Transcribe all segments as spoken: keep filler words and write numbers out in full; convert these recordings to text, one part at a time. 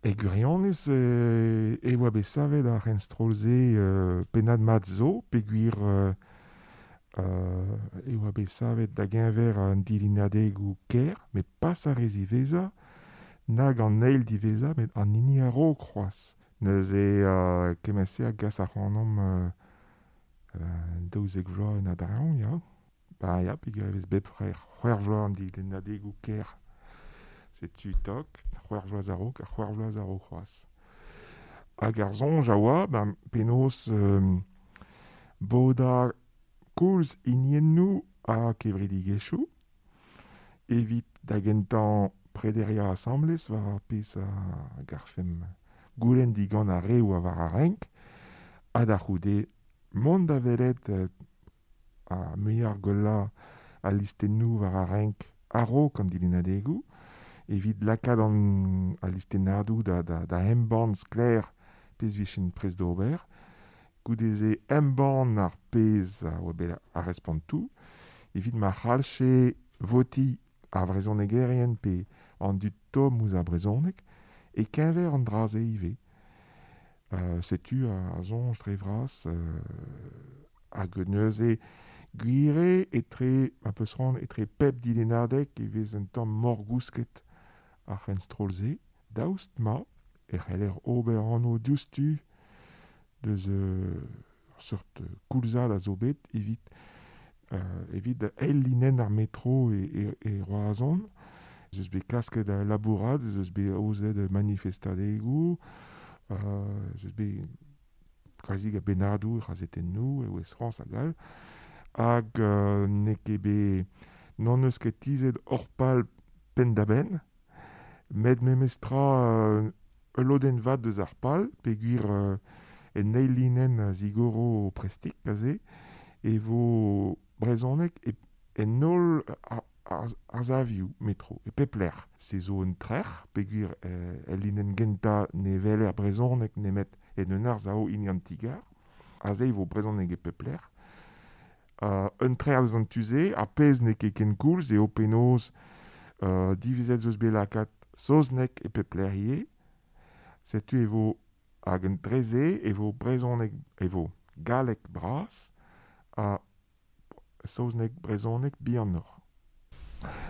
E gwirionez euh, e oa bet savet ar c'henstroll-se euh, pennad mat zo, peogwir euh, euh, e oa bet savet da geñver an dilennadegoù kêr, met pas ar re ziwezhañ, nag an eil diwezhañ, met an hini a-raok c'hoazh. Neuze euh, kement-se a gas ac'hanomp euh, euh, daouzek vloaz en a-dreñv, ya. Ba ya, peogwir e vez bep c'hwec'h vloaz an dilennadegoù kêr. Setu tok, c'hwec'h vloaz a-raok ha c'hwec'h vloaz a-raok c'hoazh. Hag ar soñj a oa, ben, penaos euh, bodañ koulz hiniennoù ha kevredigezhioù, evit da gentañ prederiañ asambles war ar pezh a garfemp goulenn digant ar re oa war ar renk, ha da c'houde mont da welet euh, ar muiañ ar gwellañ al listennoù war ar renk a-raok an dilennadegoù, evit lakaat an al listennadoù da, da, da embann sklaer pezh 'vijent prest d'ober, goude-se embann ar pezh a oa bet ar respontoù, evit ma c'hallje votiñ ar vrezhonegerien pe an dud tomm ouzh ar brezhoneg, e-keñver an dra-se ivez. Euh, setu ar soñj dre vras euh, hag neuze gwir eo etre, ma peus c'hoant, etre pep dilennadeg e vez un tamm morgousket ar c'henstroll-se, daoust ma e c'heller ober anv diouzhtu deus euh, ur seurt koulzad a zo bet evit, euh, evit eil linenn ar metro e, e, e Roazhon. Ez eus bet klasket labourat, ez eus bet aozet manifestadegoù, euh, ez eus bet kalzik a bennadoù, kazetennoù, e Ouest-France hag all, hag euh, n'eo ket bet n'hon eus ket tizhet hor pal penn-da-benn, met memestra euh, ul lodenn vat deus ar pal, peogwir euh, en eil linenn a zigoro prestik aze, e vo brezhoneg e, en holl ar, ar, ar savioù metro, e pep lec'h. Se zo un trec'h, peogwir euh, el linenn gentañ ne weler brezhoneg nemet en un arsav hini an ti-gar. Aze e vo brezhoneg e pep lec'h. Uh, un trec'h eus an tu-se, ar pezh n'eo ket ken koulz eo penaos uh, divizet zo eus bet lakaat saozneg e pep lec'h ivez. Setu e vo hag an dre-se e vo brezhoneg e vo galleg bras ha saozneg brezhoneg bihanoc'h.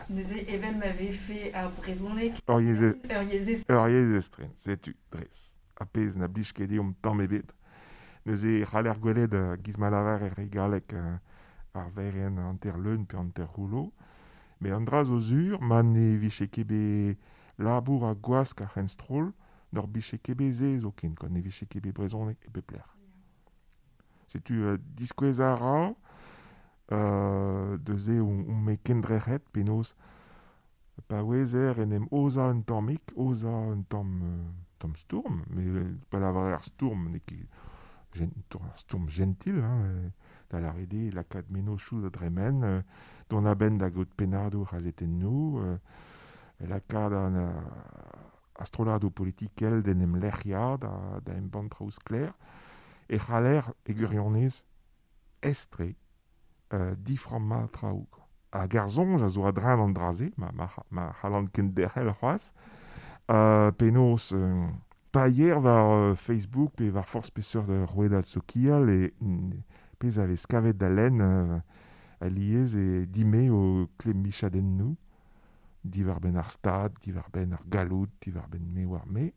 Neuze evel ma vefe ar brezhoneg Ur yezh ur yezh ur yezh estren, setu dres. Ar pezh na blij ket deomp tamm ebet. Neuze e c'haller gwelet uh, giz ma lavar er re galleg uh, ar verenn hanter leun pe hanter c'houllo. Met an dra zo sur, ma ne vije ket bet labour ha gwask ar c'henstroll, n'hor bije ket bet se zoken, quoi, ne vije ket bet brezhoneg e pep lec'h. Setu euh, diskouez a ra, euh, deus on, on me kendrec'het penaos pa ouezer en em aozañ un tammig, aozañ un tamm, euh, tamm stourm, mais pa lavarer ar stourm n'eo ket gen, ur stourm gentil, hein, euh, da lâret eo lakaat mennozhioù da dremen, euh, dont a-benn da gaout pennadoù c'hazetennoù, euh, lakaat an euh, ar strolladoù politikel d'en em lec'hiañ, da, da embann traoù sklaer, e c'haller e gwirionez aes-tre euh, diframmañ traoù. Hag ar soñj a zo a-dreñv an dra-se, ma, ma, ma c'hallan kenderc'hel c'hoazh, euh, penaos euh, pa yer war euh, Facebook pe war forzh peseurt rouedad sokial e pezh a vez kavet da lenn euh, alies e dime o klemmichadennoù, diwar-benn ar stad, diwar-benn ar galloud, diwar-benn me war me.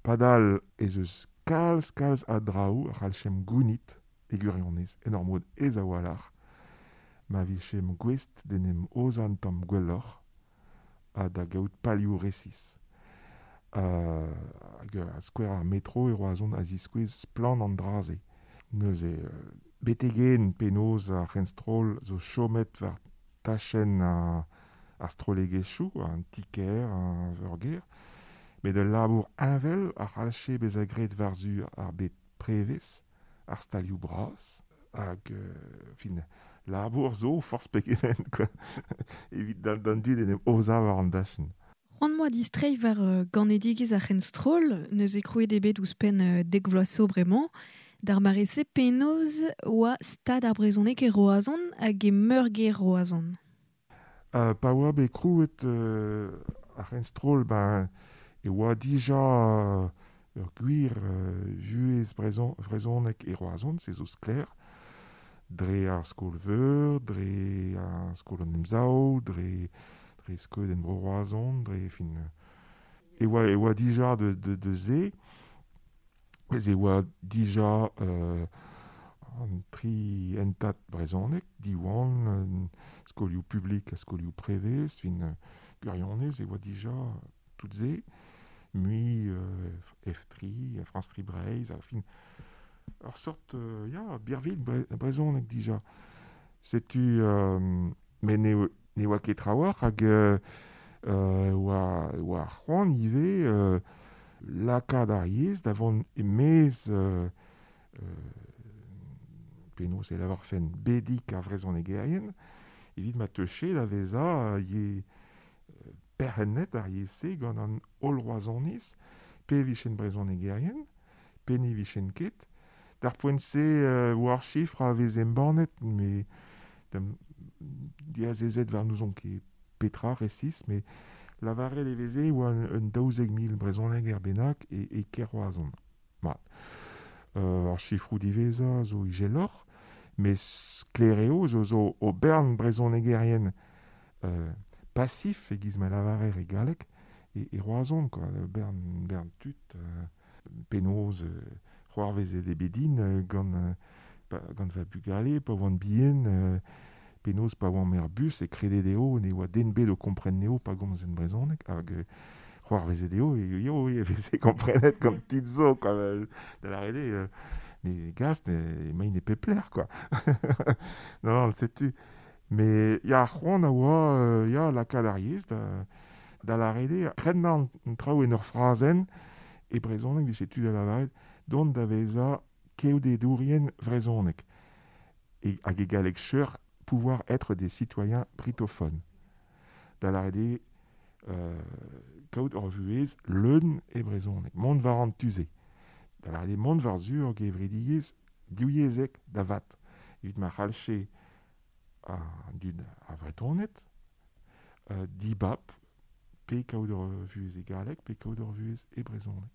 Padal ez eus kalz kalz a draoù a c'hallchemp gounit e gwirionez, en ur mod aes a-walc'h, ma vijemp gouest d'en em aozañ un tamm gwelloc'h ha da gaout palioù resis. Euh, hag a skouer ar metro e Roazhon a ziskouez splann an dra-se. Neuze, euh, betek-henn penaos ar c'henstroll zo chomet war tachenn ar, ar strollegezhioù, an ti-kêr, ar veurgêr, met ul labour heñvel a c'hallje bezañ graet war-zu ar bed prevez, ar stalioù bras, hag euh, fin, labour zo forzh pegement, quoi, evit d'an, d'an dud en em aozañ war an dachenn. C'hoant 'moa distreiñ war euh, ganedigezh ar c'henstroll, neuze krouet eo bet ouzhpenn euh, dek vloaz zo bremañ, d'ar mare-se penaos oa stad ar brezhoneg e Roazhon hag e meurgêr Roazhon. Euh, pa oa bet krouet euh, ar c'henstroll, ben, e E oa dija ur gwir euh, vuhez brezon, brezhoneg e Roazhon, se zo sklaer, dre ar skol-veur, dre ar skol an emsav, dre, dre skeudenn bro Roazhon, dre fin... E oa, e oa dija de, de, de ze, ez e oa dija euh, an tri entat brezhoneg, Diwan, euh, skolioù publik ha skolioù prevez, fin euh, gwirionez, e oa dija tout ze, mui euh, F tri, France tri Breizh, fin ur sort, euh, ya, birvilh bre, brezhoneg dija. Setu, euh, met ne, ne oa ket trawalc'h hag euh, euh, oa, oa c'hoant ivez euh, lakaat ar yezh da vont e-maez euh, euh, penaos e lavarfen bedik ar vrezhonegerien, evit ma teuche da vezañ ye perc'hennet ar yezh-se gant an holl Roazhoniz, pe vichen brezhonegerien, pe ne vichen ket. D'ar poent-se euh, oa ar chifr a vez embannet, mais dam diazezet war n'ouzon ket petra resis, mais lavaret e veze oa un, un daouzek mil brezhoneger bennak e, e kêr Roazhon. Mat. Euh, ar chifroù diwezhañ zo izeloc'h, met sklaer eo zo zo o bern brezhonegerien euh, passif e giz ma lavarer e galleg e, e Roazhon, quoi, bern, bern tud euh, penaos euh, c'hoarvezet e bedin euh, gant, euh, pa, gant va bugale, pa oant bihan, euh, penaos pa oant er bus e kredet eo ne oa den bet o kompren neo pa gomz en brezhoneg, hag euh, c'hoarvezet eo, e eo e veze komprenet gant tud zo, quoi, da lâret eo, euh, ne gast, ne, emaint e pep lec'h, quoi. Non, non, setu. Mais ya ar c'hoant a oa, euh, ya lakaat ar yezh da, da lâret eo, krennañ an traoù en ur frazenn, e brezhoneg vije tu da lavaret, dont da vezañ keodedourien vrezhoneg. E, hag e galleg cheur, pouvoir être des citoyens britophones. Da lâret eo, euh, kaout ur vuhez leun e brezhoneg, mont war an tu-se. Da lâret eo mont war zu ur gevredigezh divyezhek da vat. Evit ma c'hallche an dud a vretoned, euh, dibab, pe kaout ur vuhez e galleg, pe kaout ur vuhez e brezhoneg.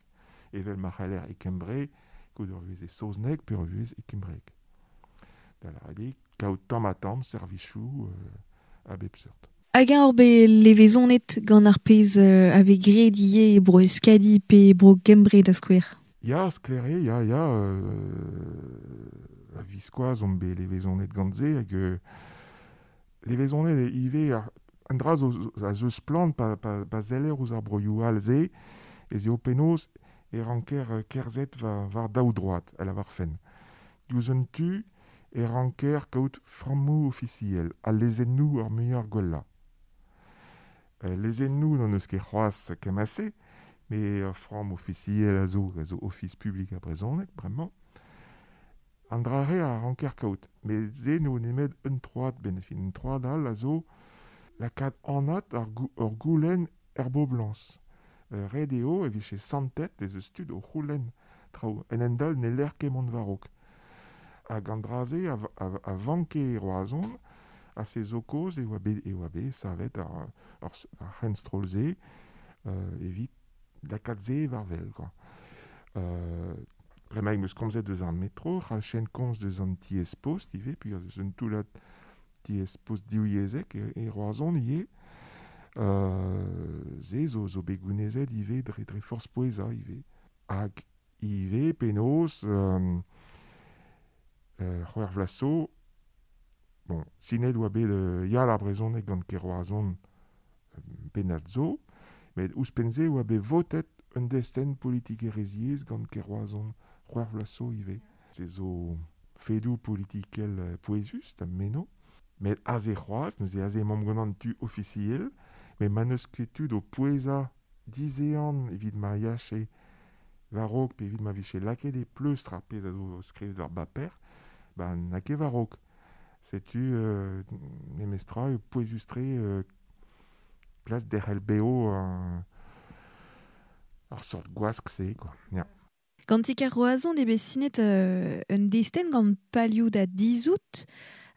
Evel ma c'haller e Kembre, kaout ur vuhez e saozneg, pe ur vuhez e kembreg. Da lâret eo, kaout tamm ha tamm servijoù euh, a bep seurt. Hag eñ ur bet levezonet gant ar pezh euh, a vez graet ivez e bro Euskadi pe e bro Gembre da skouer. Ya, sklaer eo, ya, ya, euh, a viskoazh omp bet levezonet gant se, hag euh, levezonet eo ivez ar, an dra zo, zo, a zo splann pa, pa, pa zeller ouzh ar broioù all se, ez eo penaos e ranker euh, kerzhet war, war daou droad, a lavarfen. Diouzh un tu e ranker kaout frammoù ofisiel, ha lezennoù ar muiañ ar gwellañ. Euh, lezennoù n'on eus ket c'hoazh kemase, met ur framm ofisiel a zo, a zo ofis publik ar brezhoneg, bremañ. An dra re a ranker kaout, met se n'eo nemet un troad benn fin. Un troad all a zo lakaat anat ar gou, ur goulenn er boblañs. Euh, ret eo e vije santet ez eus tud o c'houlenn traoù. En endal ne lec'h ket mont war-raok. Hag an dra-se a, a, a vanke e Roazhon, ha se zo kaoz e oa bet, e oa bet savet ar, ar, ar c'henstroll-se euh, evit lakaat se war wel, quoi. Euh, bremañ em eus komzet deus ar metro, c'hallchen komz deus an tiez-post ivez, puis eus un toullad tiez-post divyezhek e, e Roazhon ivez. Euh, se zo, zo bet gounezet ivez dre, dre forzh pouezañ ivez. Hag ivez penaos euh, euh, c'hwec'h vloaz zo, bon, sinet oa bet euh, yal ar brezhoneg gant kêr Roazhon euh, pennad zo, met ouzhpenn-se oa bet votet un destenn politikerezhiezh gant kêr Roazhon c'hwec'h vloaz zo ivez. Se zo fedoù politikel euh, pouezus da meno, met aze c'hoazh, neuze aze emaomp gant an tu ofisiel, met ma n'eus ket tud o pouezañ dizehan evit ma yache war-raok pe evit ma vije lakaet e pleustr ar pezh a zo skrivet war baper, ba n'a ket war-raok. Setu euh, memestra eo pouezus-tre euh, plas derc'hel bev euh, ar sort gwask-se, quoi. Ya. Gant ti-kêr Roazhon eo bet sinet euh, un destenn gant palioù da dizout,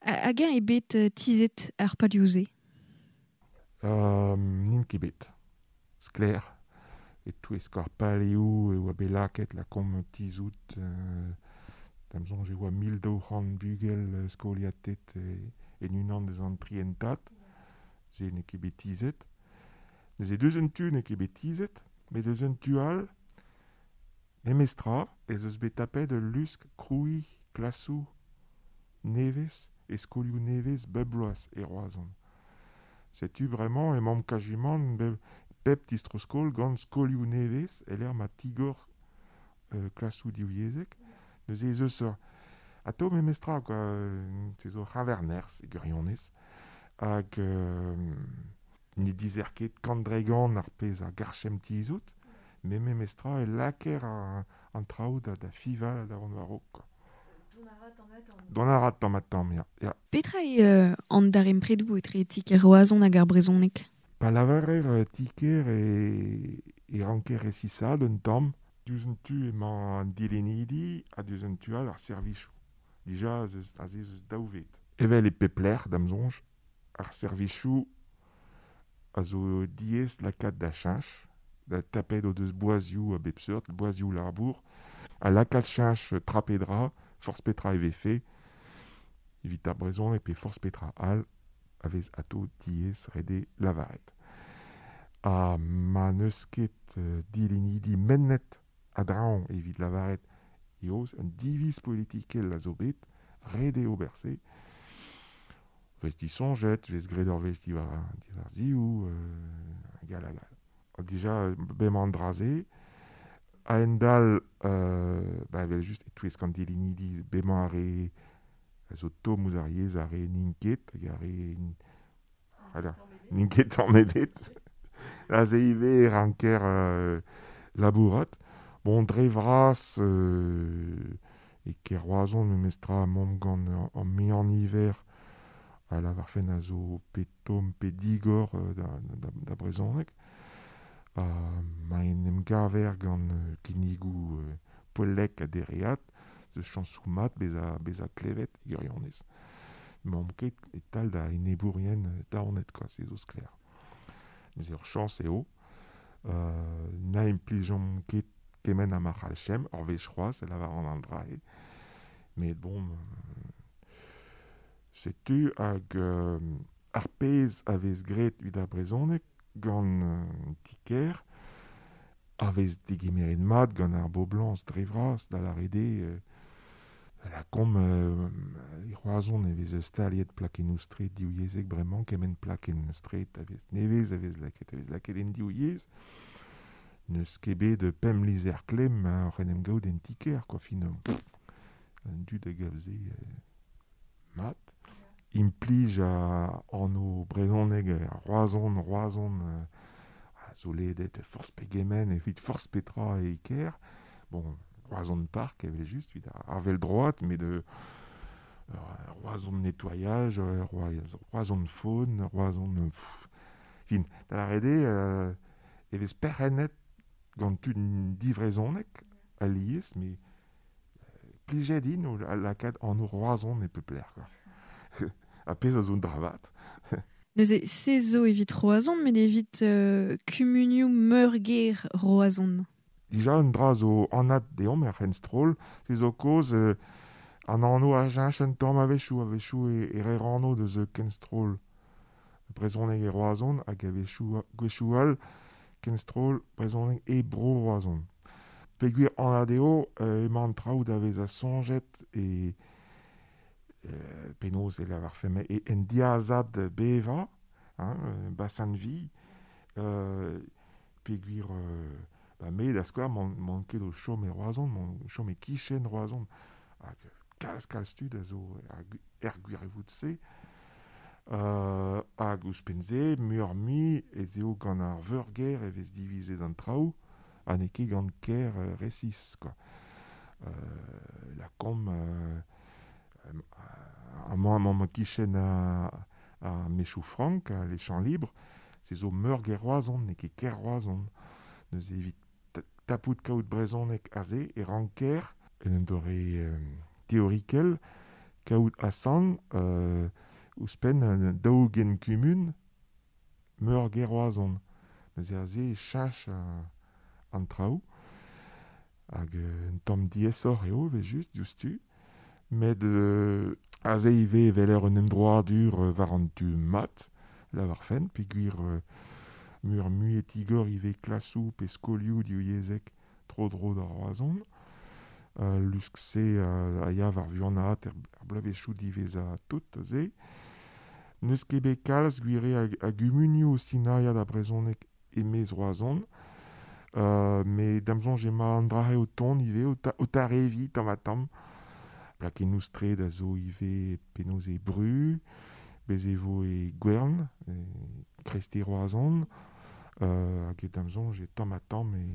hag eñ eo bet euh, tizhet ar palioù-se? Euh, n'int ket bet. Sklaer. E touez kar paleoù e oa bet laket la kom tizout euh, da'm soñj e oa mil daou c'hant bugel euh, skoliatet e, en unan deus an trientat, se n'eo ket bet tizhet. Neuze deus un tu n'eo ket bet tizhet, met deus un tu all, memestra, ez eus bet tapet ul lusk krouiñ klasoù nevez e skolioù nevez bep bloaz e Roazhon. Setu bremañ emaomp kajimant bep, pep distro-skol gant skolioù nevez e-lec'h ma tigor euh, klasoù divyezhek. Neuze ez eus ur atao memestra quoi, se zo c'havernerzh e gwirionez hag euh, ne dizer ket kant dregant ar pezh a garchem tizout, met memestra e laker an, an traoù da, da fival da vont war-raok quoi. Dont a ra tamm ha tamm, ya. ya. Petra eo euh, an darempredoù etre ti-kêr Roazhon hag ar brezhoneg? Pa lavarer euh, ti-kêr e, e ranker resisaat un tamm, diouzh un tu emañ an dilennidi ha diouzh un tu all ar servijoù. Dija ez eus, aze ez eus daou ved. Evel e pep lec'h, da'm soñj, ar servijoù a zo diaes lakaat da cheñch, da tapet o deus boazioù a bep seurt, boazioù labour, ha lakaat cheñch tra pe dra, forzh petra e vefe, evit ar brezhoneg pe forzh petra all, a vez atao diaes ret eo lavaret. Ha ma n'eus ket euh, dilennidi mennet a-dreñv evit lavaret eo un diviz politikel a zo bet, ret eo ober se. Vez disoñjet, vez graet ur wech diwar, diwar ziv, euh, hag all hag all. Ha dija, bemañ an dra-se, a-hend-all, euh, ba evel-just e-touesk an dilennidi bemañ ar re a zo tomm ouzh ar yezh ar re n'int ket, hag ar re voilà, n'int ket tamm ebet. Aze ivez e ranker euh, labourat. Bon, dre vras euh, e Kêr-Roazhon memestra emaomp gant an muiañ niver a lavarfen a zo pe tomm pe digor euh, da, da, da brezhoneg. Ha ma en em gaver gant euh, kinnigoù euh, poellek ha dereat, eus chañsoù mat bezañ, bezañ klevet e gwirionez. N'emaomp ket e-tal da enebourien daonet quoi, se zo sklaer. Neuze ur chañs eo. Euh, na implijomp ket kement ha ma c'hallchemp, ur wech c'hoazh e lavaran an dra-se. Met bon, euh, setu hag euh, ar pezh a vez graet evit ar brezhoneg gant euh, ti-kêr, a vez degemeret mat gant ar boblañs dre vras da lâret eo euh, la kom euh, e Roazhon e vez staliet plakennoù straed divyezhek bremañ, kement plakenn straed a vez nevez a vez lakaet a vez lakaet en div yezh. N'eus ket bet pemp lizher klemm hein, oc'h en em gaout en ti-kêr, quoi, fin, pff, an dud a gav se euh, mat. Implij a anv brezhoneg ar Roazhon, Roazhon euh, a zo ledet forzh pegement evit forzh petra e kêr. Bon, Roazhon Park evel-just, evit ar vell-droad, met euh, Roazhon nettoyage, Roazhon faune, Roazhon... Pff, fin, da lâret eo euh, e vez perc'hennet gant tud divrezhonek alies, met plijet int o lakaat anv Roazhon e pep lec'h, quoi. Ha pezh a zo un dra vat. Neuze se zo evit Roazhon, met evit euh, kumunioù meurgêr Roazhon. Dija un dra zo anat deomp er c'henstroll, se zo kaoz euh, an anv a cheñch un tamm a-wechoù, a-wechoù e, e reer anv deus kenstroll brezhoneg e Roazhon hag a-wechoù gwechoù all kenstroll brezhoneg e bro Roazhon. Peogwir anat eo euh, emañ an traoù da vezañ soñjet e euh, penaos e lavarfemp e en diazad bevañ, hein, euh, bassin de vie, euh, peogwir euh, ba me da skouer m'on, m'on ket o chom e Roazhon, m'on chom e kichen Roazhon, hag kalz kalz tud a zo er, er gwirvoud-se. Euh, hag ouzhpenn-se, muioc'h-mui ez eo gant ar veurgêr e vez divizet an traoù, ha n'eo ket gant kêr euh, resis, quoi. Euh, la kom euh, amañ amañ ma kichen a, a Mechoù Frank, a les Champs Libres, se zo meurgêr Roazhon, n'eo ket kêr Roazhon. Neuze evit tapout kaout brezhoneg aze e ranker, en un doare euh, teorikel, kaout asant euh, ouzhpenn un daou-ugent kumun meurgêr Roazhon. Neuze aze e cheñch an traoù. Hag euh, un tamm diaesoc'h eo, evel just, diouzhtu. Met euh, aze ivez evel ur un emdroadur euh, war an tu mat, la war fenn, peogwir euh, mur mui e tigor ivez klasoù pe skolioù divyezhek tro-dro da Roazhon. Uh, lusk-se uh, a ya war vuanaat er, er bloavezhioù diwezhañ tout se. N'eus ket bet kalz gwire a, a gumunioù o sinaia da brezhoneg e-maez Roazhon. Uh, met da'm soñj emañ an dra-se o tont ivez, o, ta, o tareviñ tamm-ha-tamm. Plakennoù straed a zo ivez penaos e Bru, bez e vo e Gwern, e Kresti Roazhon, uh, hag e da'm soñj e tamm-ha-tamm e,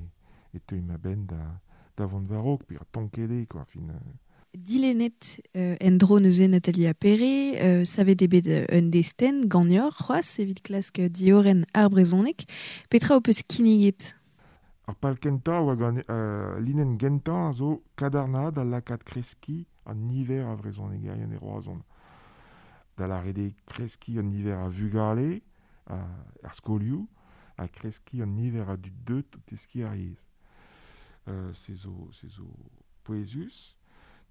e teuy ma benn da, da vont war-raok, pe ar tonket eo, quoi, fin. Euh. Dilennet euh, en-dro neuze Nathalie Appéré, euh, savet eo bet un destenn ganeoc'h c'hoazh evit klask diorren ar brezhoneg. Petra ho peus kinniget? Ar pal kentañ oa gant euh, linenn gentañ a zo kadarnaat da lakaat kreskiñ an niver a vrezhonegerien e Roazhon. Da lâret eo kreskiñ an niver a vugale, a, ar skolioù, ha kreskiñ an niver a dud deut o teskiñ ar yezh. Euh, se zo, se zo pouezus.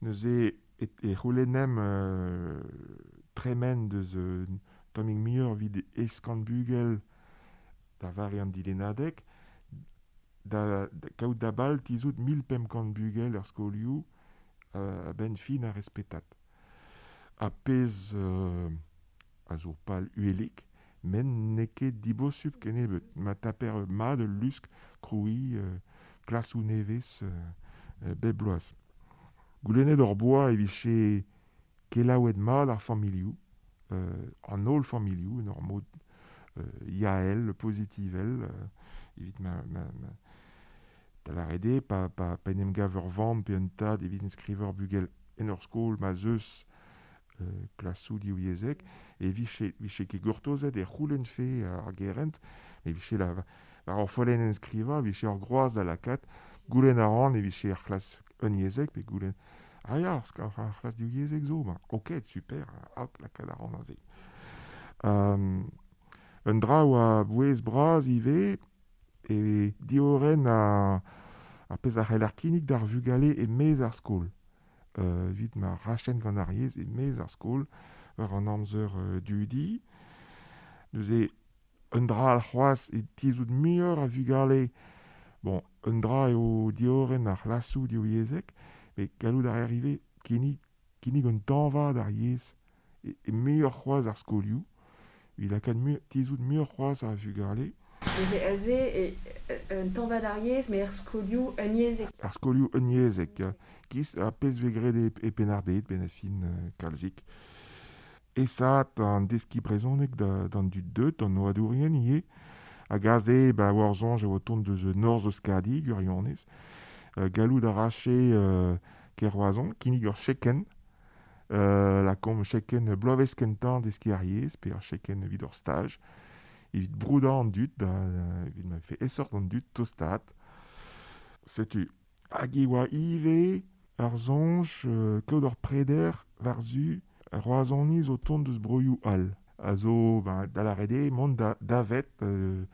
Neuze e, e c'houlennemp euh, tremen deus euh, tammig muioc'h evit eizh kant bugel da vare an dilennadeg, da, da kaout da bal tizhout mil pemp kant bugel er skolioù euh, a-benn fin ar respetat. Ha pezh euh, a zo pal uhelik, met n'eo ket dibosupl kennebeut. Ma taper mat ul lusk krouiñ euh, klasoù nevez euh, bep bloaz. Goulennet hor boa e vije kelaouet mat ar familhoù, euh, an holl familhoù, en ur mod euh, yael, pozitivel, euh, evit ma, ma, ma da lâret eo, pa, pa, pa en em gav ur vamm pe un tad evit enskriver bugel en ur skol ma 'z eus euh, klasoù divyezhek, e vije, vije ket gortozet e c'houlennfe ar gerent, e vije la, war ur follenn enskrivañ, vije ur groaz da lakaat, goulenn a ran e vije ar c'hlas unyezhek, pe goulenn, ah ya, ar sk-, ar c'hlas divyezhek zo, ben, ok, super, hop, lakaat a ran aze. Um, un dra oa bouez bras ivez, e diorren a, ar pezh a c'hell ar kinnig d'ar vugale e-maez ar skol. Euh, evit ma rachen gant ar yezh e-maez ar skol war an amzer euh, dudi. Neuze un dra al c'hoazh e tizhout muioc'h a vugale. Bon, un dra eo diorren ar c'hlasoù divyezhek, met gallout a reer ivez kinnig, kinnig un tañva d'ar yezh e, e muioc'h c'hoazh ar skolioù, evit lakaat mu-, tizhout muioc'h c'hoazh a vugale. Neuze aze e, un tañva d'ar yezh, met ar skolioù unyezhek. Ar skolioù unyezhek, ya. Giz ar pezh vez graet e, e Penn-ar-Bed, benn ar fin, euh, kalzik. Esaat an deskiñ brezhoneg da, d'an dud deut, d'an oadourien ivez. Hag aze, ba, war soñj e oa tont deus Norzh Euskadi, gwirionez. Euh, gallout a rache, euh, Kêr-Roazhon, kinnig ur chekenn. Euh, lakaomp chekenn bloavezh kentañ deskiñ ar yezh, pe ur chekenn evit ur staj. Evit broudañ an dud, da, evit ma vefe aesoc'h d'an dud tostaat. Setu, hag e oa ivez ar soñj, euh, kaout ur preder war-zu Roazhoniz o tont deus broioù all. A zo, ba, da lâret eo, mont da, davet, euh,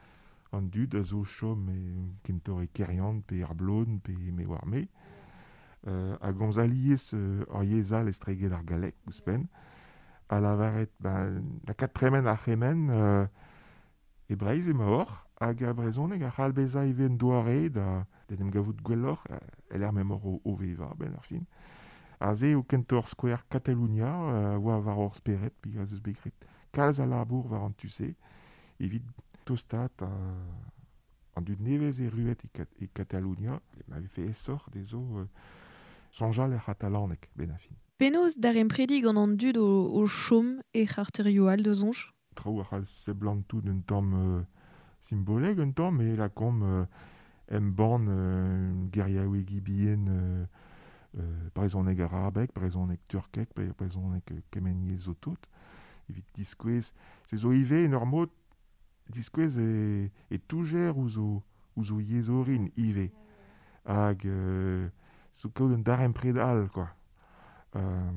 an dud a zo chom e kentoc'h e Keryann pe ar Blon pe me oar me. Euh, hag gomz alies, euh, ur yezh all estreget ar galleg ouzhpenn. A lavaret, ba, lakaat tremen ar c'hemenn, euh, e Breizh emaoc'h, hag ar brezhoneg a c'hall bezañ ivez un doare da, da en em gavout gwelloc'h, euh, el er memor o, o vevañ, benn ar fin. Aze eo kentoc'h skouer Katalonia, euh, oa war hor spered, peogwir ez eus bet graet kalz a labour war an tu-se, evit tostaat a, an dud nevez erruet e Kat-, e Katalonia, ma vefe aesoc'h dezho, euh, soñjal er c'hatalaneg, benn ar fin. Penaos daremprediñ gant an dud o, o chom e c'harterioù all da soñj? Traoù a c'hall seblantout un tamm, euh, simbolek un tamm, met lakaomp, euh, embann, euh, geriaouegi bihan, euh, euh, brezhoneg arabek, brezhoneg turkek, bre-, brezhoneg, euh, kement yezh zo tout. Evit diskouez, se zo ivez en ur mod diskouez e, e toujer ouzh o, ouzh o yezh orin ivez. Hag, euh, zo kaout un darempred all, quoi. Euh,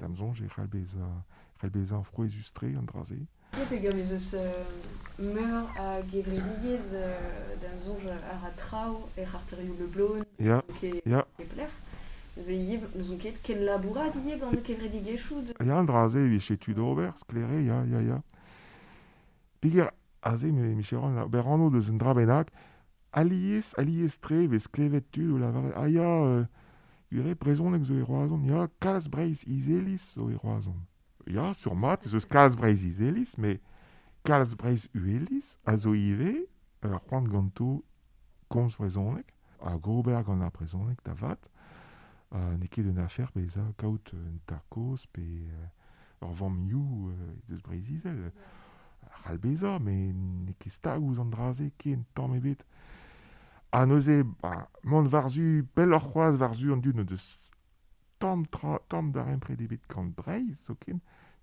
da'm soñj e c'hall bezañ, c'hall bezañ frouezhus-tre an dra-se. Ya, peogwir ez eus, euh, Meur a gevredigezh euh, da soñj ar a traoù er arterioù Le Blon Ya, ke ya. e plec'h. Neuze ivez, n'ouzon ket ken labourat ivez gant kevredigezhioù de... Ya, an dra-se e vije tu d'ober, sklere, ya, ya, ya. Peogwir aze, me, me ran, ober anv deus un dra bennak, alies, alies tre vez klevet tud o lavaret, ah ya, euh, gwir eo brezhoneg zo e Roazhon, ya, kalz Breizh Izeliz zo e Roazhon. Ya, sur mat, ez eus kalz Breizh Izeliz, met kalz Breizh Uheliz a zo ivez ur c'hoant ganto komz brezhoneg, hag ober gant ar brezhoneg da vat, uh, n'eo ket un afer bezañ kaout un tad-kozh pe euh, ur vamm-you euh, deus Breizh-Izel. A c'hall bezañ, met n'eo ket stag ouzh an dra-se ken tamm ebet. Ha neuze, ba, mont war-zu pelloc'h c'hoazh war-zu an dud n'o deus tamm tra, tamm darempred ebet gant Breizh zoken,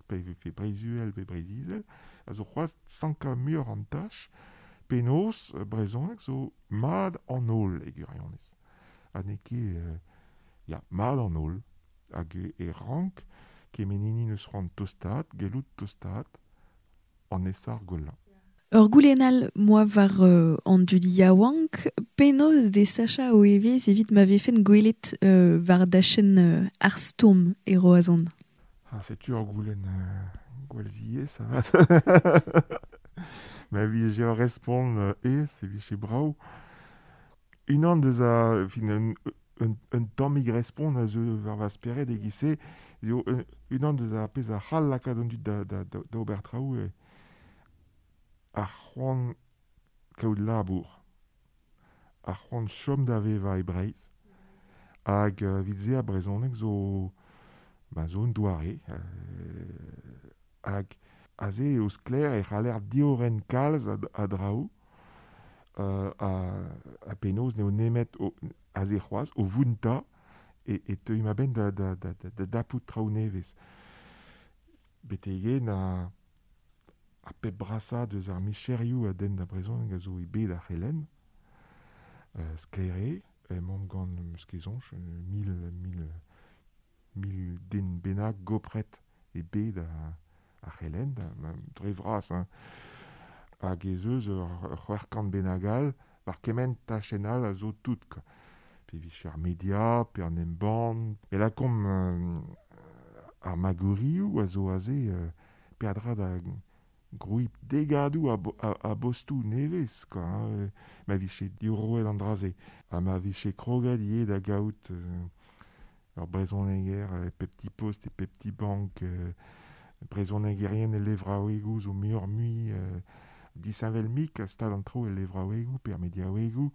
pe vefe Breizh-Uhel pe Breizh-Izel, a zo c'hoazh sankañ muioc'h an tach, penaos brezhoneg zo mat an holl e gwirionez. Ha n'eo ket, euh, ya, mat an holl, hag e rank kement hini n'eus c'hoant tostaat, gellout tostaat, an esar gwellañ. Ur goulenn all moa war euh, an dud yaouank, penaos de sachañ o evezh evit ma vefen gwelet euh, war dachenn euh, ar stourm e Roazhon. Ah, setu ur goulenn euh, gwall ziaes, avat. Ma vije ur respont euh, aes e vije brav. Unan deus a, fin, un, un, un tammig respont a zeu war va spered e-giz-se, eo un, unan deus ar pezh a c'hall lakaat an dud da, da, da, da ober traoù eo ar c'hoant kaout labour, ar c'hoant chom da vevañ e Breizh, hag euh, evit se ar brezhoneg zo, ba, zo un doare, euh, hag aze eo sklaer e c'haller diorren kalz a, a draoù, euh, a, a penaos n'eo nemet o, aze c'hoazh, o vountañ, e, e teuimp a-benn da, da, da, da, da dapout traoù nevez. Betek-henn a, ar pep brasañ deus ar micherioù a denn da brezhoneg a zo e bed ar c'helenn, euh, sklaer eo, emaomp gant, eus ket soñj, mil, mil, mil den bennak gopret e bed ar, ar c'helenn, da, ma, dre vras, hein. Hag ez eus ur, ur c'hwec'h kant bennak all, war kement tachenn all a zo tout, quoi. Pe vije ar media, pe an embann, e lakaomp euh, ar magourioù a zo aze, euh, peadra da grouiñ degadoù a, bo, a, a bostoù nevez, quoi, hein, ma vije diorroet an dra-se. Ha ma vije kroget ivez da gaout euh, ur brezhoneger e pep ti post e pep ti bank, euh, brezhonegerien e levraouegoù zo muioc'h-mui euh, disheñvel-mik a stad an traoù e levraouegoù pe ar mediaouegoù,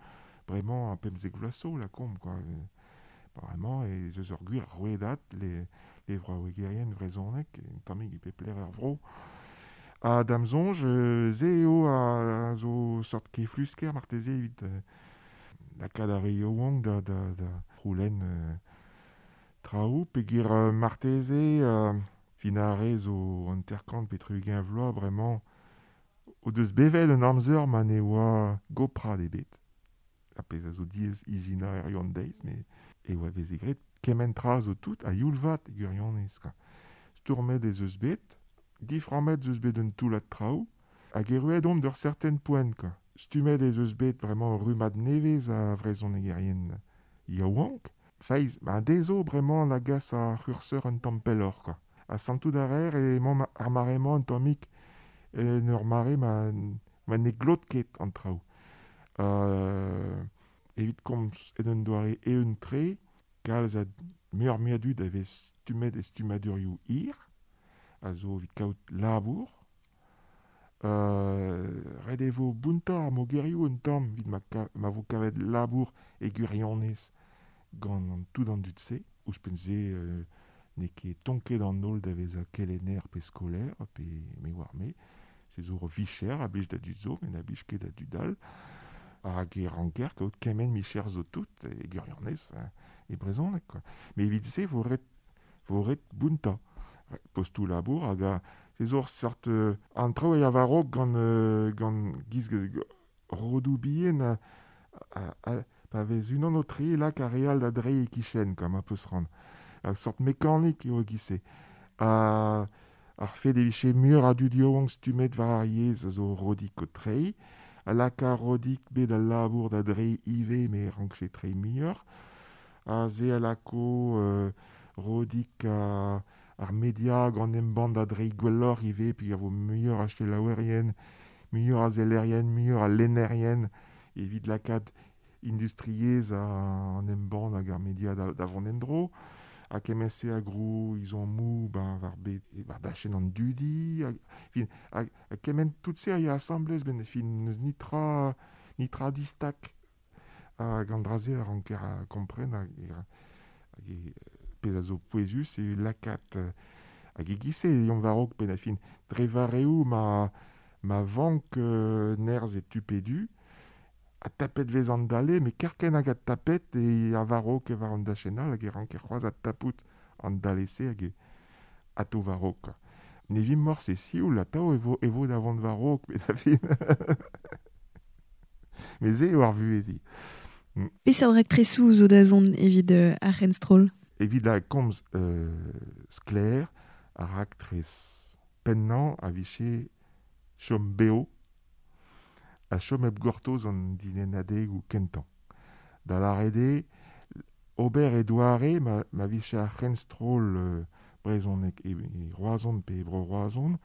bremañ a pemzek vloaz zo lakaomp, quoi. Bremañ ez eus ur gwir rouedad le, levraouegerien vrezhonek, un tammig e pep lec'h er vro. Ha da'm soñj, euh, se eo a, a zo sort keflusker marteze evit euh, lakaat ar re yaouank da, da, da c'houlenn euh, traoù, peogwir euh, marteze euh, fin ar re zo hanter-kant pe tri-ugent vloaz bremañ o deus bevet un amzer ma ne oa goprad ebet. Ar pezh a zo diaes ijinañ er an deiz, met e oa veze graet kement tra zo tout a youl vat e gwirionez, quoi. Stourmet ez eus bet, diframmet ez eus bet un toullad traoù, hag erruet omp d'ur certain poent, quoi. Stummet ez eus bet bremañ ur rummad nevez a vrezhonegerien yaouank. Feiz, ba dezho bremañ la gas ar c'hurseur un tamm pelloc'h, quoi. Ha santout a reer emañ ar mare-mañ un tammig en ur mare ma, ma ne glot ket an traoù. Euh, evit komz en un doare eeun-tre, kalz a muioc'h-mui a dud a vez stummet e stummadurioù hir, a zo evit kaout labour. Euh, ret e vo bountañ ar mogerioù un tamm evit ma, ka, ma vo kavet labour e gwirionez gant an tout an dud-se. Ouzhpenn-se, euh, n'eo ket tonket an holl da vezañ kelenner pe skolaer, pe me oar me. Se zo ur vicher a blij da dud zo, met na blij ket da dud all. Hag e ranker kaout kement micher zo tout e gwirionez, hein, e brezhoneg, quoi. Met evit se vo ret, vo ret bountañ. Postoù labour hag a se zo ur seurt euh, an traoù a war-raok gant, euh, gant giz rodoù bihan a, a, a, pa vez unan o treiñ lak ar re all da dreiñ e-kichen, quoi, ma peus c'hoant. Ur sort mekanik eo e-giz-se. Ha, Ar fed e vije muioc'h a dud yaouank stummet war ar yezh a zo rodik o treiñ, a laka rodik bet al labour da dreiñ ivez me rankje treiñ muioc'h, a se a lako euh, rodik a, ar media gant embann da dreiñ gwelloc'h ivez, puis a vo muioc'h a selaouerien, muioc'h a sellerien, muioc'h a lennerien, evit lakaat industriezh an embann hag ar media da, da vont en-dro, ha kement-se a grou izommoù ben, war bet, war dachenn an dudi, hag, fin, hag, ha kement tout se a ya asambles ben, fin, n'eus nitra, nitra distak hag an dra-se a ranker a kompren hag, hag e, pezh a zo pouezus e lakaat hag e giz-se e war-raok ben a fin dre vareoù ma, ma vank euh, nerzh e tu pe du, a tapet vez an dale, me kerken hag a tapet e a war-raok e war an dachenn all hag e ranker c'hoazh a tapout an dale-se hag e ato war-raok. Ne vim morse e sioul atav e vo, e vo da vont war-raok, met a fin. Me se eo ar vuhez. Mm. Peseurt raktresoù zo da zont evit euh, ar c'henstroll? Evit la komz euh, sklaer, ar raktres pennañ a vije chom beo, a chom hep gortoz an dilennadegoù kentañ. Da lâret eo, ober e doare ma, ma vije ar c'henstroll euh, brezhoneg e, e Roazhon pe e Bro-Roazhon,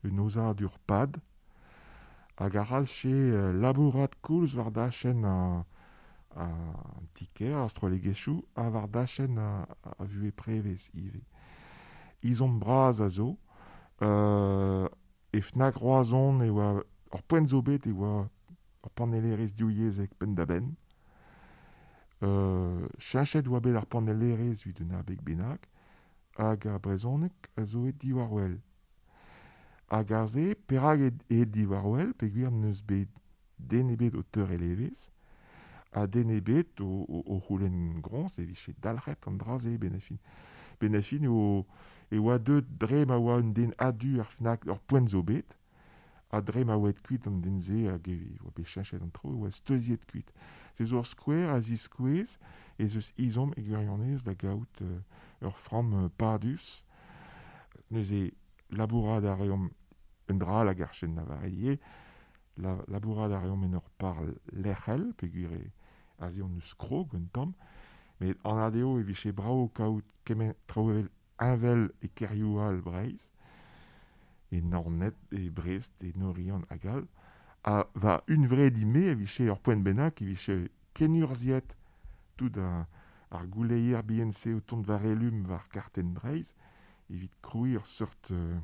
un aozadur pad, hag a c'hallche euh, labourat koulz war dachenn a, a an ti-kêr, ar strollegezhioù, ha war dachenn a, a vuhez prevez ivez. Izom bras a zo, euh, e Fnac Roazhon e oa ur poent zo bet e oa ur panellerezh divyezhek penn-da-benn. Euh, cheñchet oa bet ar panellerezh evit un abeg bennak, hag ar brezhoneg a zo et diwar-wel. Hag ar se, perak e, e diwar-wel, peogwir n'eus bet den ebet o teurel evezh, ha den ebet o, o, o c'houlenn groñs e vije dalc'het an dra-se ben a fin. Ben a fin eo, e oa deut dre ma oa un den a-du ar Fnac ur poent zo bet, ha dre ma oa kuit an den-se hag e oa bet cheñchet an tro, e oa steuziet kuit. Se zo ur skouer a ziskouez ez eus izom e gwirionez da gaout euh, ur framm euh, padus. Neuze labourat a reomp un dra hag ar chen lavaret la, labourat a reomp en ur par lec'hel, peogwir e aze on eus krog un tamm, met an adeo e vije brav kaout kement traoù evel heñvel e kêrioù all Breizh, e Naoned, e Brest, e Norian hag all, ha va hunvre di-me e vije ur poent bennak e vije kenurzhiet tout a, ar gouleier bihan-se o tont war elum war kartenn Breizh, evit krouiñ ur seurt euh,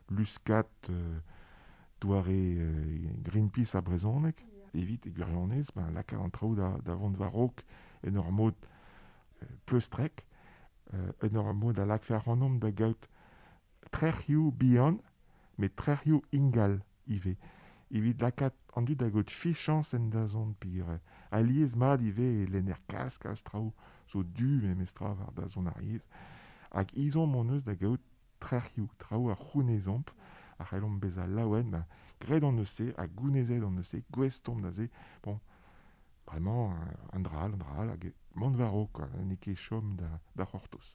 luskat euh, doare euh, Greenpeace a brezhoneg, evit e gwirionez, ben, lakaat an traoù da, da vont war-raok en ur mod euh, pleustrek, euh, en ur mod a lakfe ac'hanomp da gaout trec'hioù bihan, met trec'hioù ingal ivez. Evit lakaat an dud da gaout fichañs en dazont peogwir alies mat ivez e lenner kalz kalz traoù zo du memestra war dazont ar yezh. Hag izomp hon eus da gaout trec'hioù, traoù a c'hounezomp, a c'hellomp bezañ laouen, ben, graet hon eus se, ha gounezet hon eus se, gouest omp da se. Bon, bremañ, un dra all, un dra all, hag mont war-raok, quoi, n'eo ket chom da, da c'hortoz.